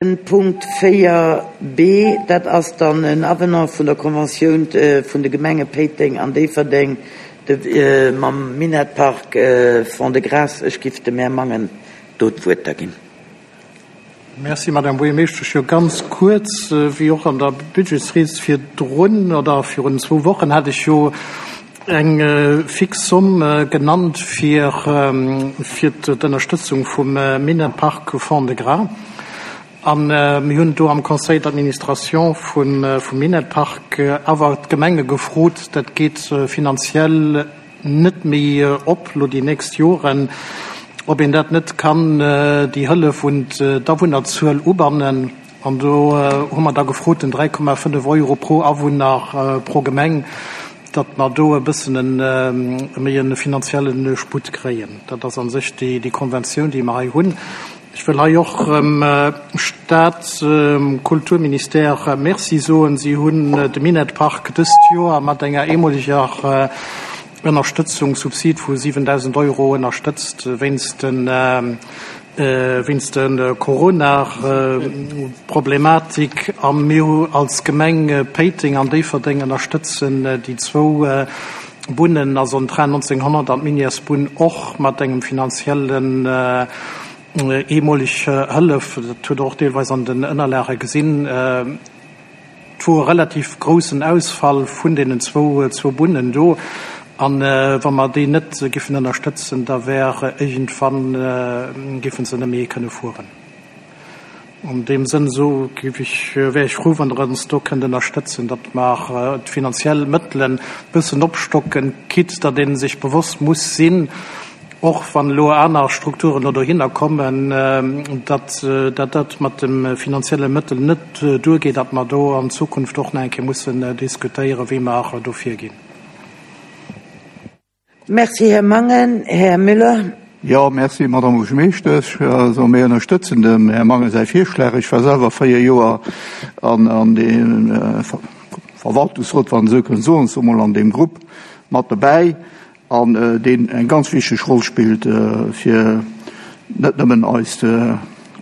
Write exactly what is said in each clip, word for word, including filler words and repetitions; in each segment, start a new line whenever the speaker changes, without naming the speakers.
Punkt véier B, dat ass dann en Avenant vun der Konventioun vun de Gemenge Péiteng an Déifferdeng mam Minettpark Fond-de-Gras. Ech giff dem Här Mangen do d'Wuert da ginn.
Merci, Madame Buergermeeschtesch. Jo, ganz kuerz, wéi och an der Budgetsried virdrun oder virun zwou Wochen hat ech jo eng fix Somm genannt fir fir d'Ënnerstëtzung vum Minettpark Fond-de-Gras. An mir hunn do am Conseil d'administration vum vum Minettpark awer d'Gemenge gefrot, dat geet finanziell net méi op lo déi nächst Joren, ob een dat net kann déi Hëllef un d'Awunnerzuel ubannen. An do hu mer da gefrot, den dräi Komma fënnef Euro pro Awunner pro Gemeng, datt mer do e bëssen e méi e finanzielle Sputt kréien. Dat ass a sech déi déi Konventioun, déi mer hei hunn. Ech wëll hei och dem Staat, Kulturministère Merci soen. Si hunn de Minettpark dëst Joer mat enger eemoleger Ënnerstëtzung, Subsid vu siwendausend Euro ënnerstëtzt wéinst de wéinst de Corona-Problematik. A mir hu als Gemeng Péiteng an Déifferdeng ënnerstëtzen déi zwou Bunnen, also den Train nonzénghonnert an d'Minièresbunn och mat engem finanziellen eemoleg Hëllef. Dat hutt Der och deelweis an den Ënnerlage gesinn. Et wor e relativ groussen Ausfall vun deenen zwou zwou Bunnen do. An wa mer déi net giffen ënnerstëtzen, da wär iergendwann giffen se net méi kënne fueren. An deem Sënn esou giff ech, wär ech frou, wann Der ons do kënnt ënnerstëtzen, datt mer d'finanziell Mëttelen e bëssen opstocken, quitte datt ee sech bewosst muss sinn, och wann elo aner Strukturen elo dohinner kommen, datt dat dat mat de finanzielle Mëttel net duergeet, datt mer do an Zukunft och nach eng Kéier mussen diskutéieren, wéi mer do virginn.
Merci, Här Mangen. Här Müller.
Jo, merci, Madame Buergermeeschtesch. Also mir ënnerstëtzen dem Här Mangen säi Virschlag. Ech war selwer véier Joer an an deem Verwaltungsrot, wann een esou kënnt soen, soe mol an deem Grupp mat dobäi, an deen eng ganz wichteg Roll spillt fir net nëmmen eis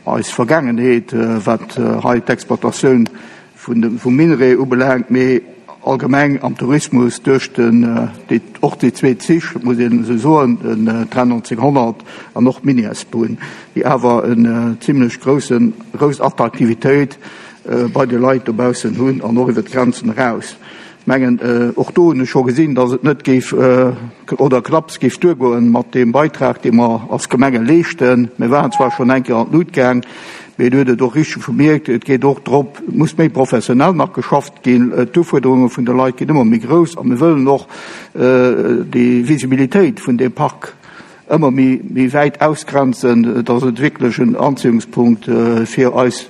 eis Vergaangenheet, wat hei d'Exploitatioun vun dem vum Minerai ubelaangt, mee allgemeng am Tourismus duerch den déi och déi zwee Zich, muss een esou soen, den Train nonzénghonnert an och d'Minièresbunn, déi awer en zimlech groussen grouss Attraktivitéit bei de Leit dobaussen hunn an och iwwer d'Grenzen eraus. Mengen, och do hunn ech scho gesinn, datt et net géif oder knapps géif duergoen mat deem Beitrag, dee mer als Gemenge leeschten. Mir waren zwar schonn eng Kéier an d'Lut gaang, mee Dir hutt et och richteg vermierkt, et geet och drop, et muss méi professionell nach geschafft ginn. D'Ufuerderunge vun de Leit ginn ëmmer méi grouss a mir wëllen och déi Visibilitéit vun deem Park ëmmer méi méi wäit ausgrenzen, datt et wierklech en Anziehungspunkt fir eis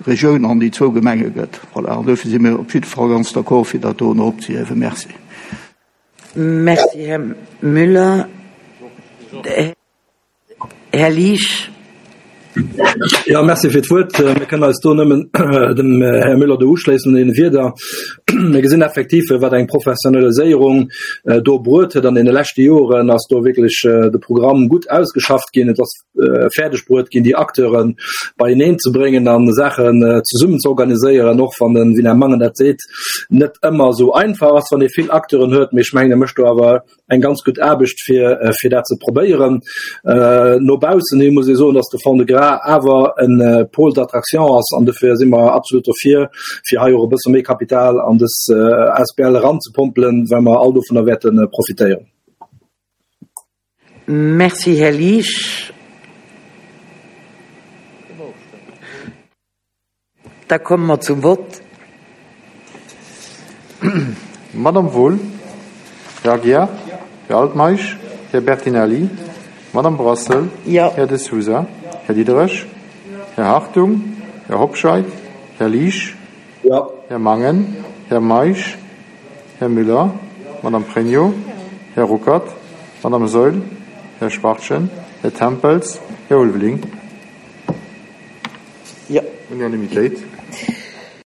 Regioun an déi zwou Gemenge gëtt. Voilà, an dofir si mir op jidde Fall ganz d'accord, fir dat do erop ze hiewen. Merci.
Merci, Här Müller. Här Liesch.
Ja, merci fir d'Wuert. Mir kënnen eis do nëmmen dem Här Müller do uschléissen an deene Wierder. Mir gesinn effektiv, wat eng Professionaliséierung do bruet huet an deene leschte Joren, ass do wierklech de Programm gutt ausgeschafft ginn. Et ass fäerdeg bruet ginn, déi Acteure beieneen ze bréngen an Saachen zesummen ze organiséieren, och wann den, wéi den Här Mangen dat seet, net ëmmer esou einfach ass, wann ee vill Acteuren huet. Mee ech mengen, e mécht do awer eng ganz gutt Aarbecht fir fir dat ze probéieren. No baussen hi muss ee soen, datt de Fond-de-Gras awer e Pôle d'attraction ass an dofir si mer absolut dofir, fir hei och e bësse méi Kapital an dës A S B L eranzepompelen, well mer all dovunner wäerte profitéieren.
Merci, Här Liesch. Da komme mer zum Vott.
Madame Wohl, Här Aguiar, Här Altmeisch, Här Bertinelli, Madame Brassel,
Ja.
Här De Sousa, Här Diderich, Här Hartung, Här Hobscheit, Här Liesch,
Ja.
Här Mangen, Här Meisch, Här Müller, Madame Pregno, Här Ruckert, Madame Saeul, Här Schwachtgen, Här Tempels, Här Ulveling.
Ja.
Unanimitéit.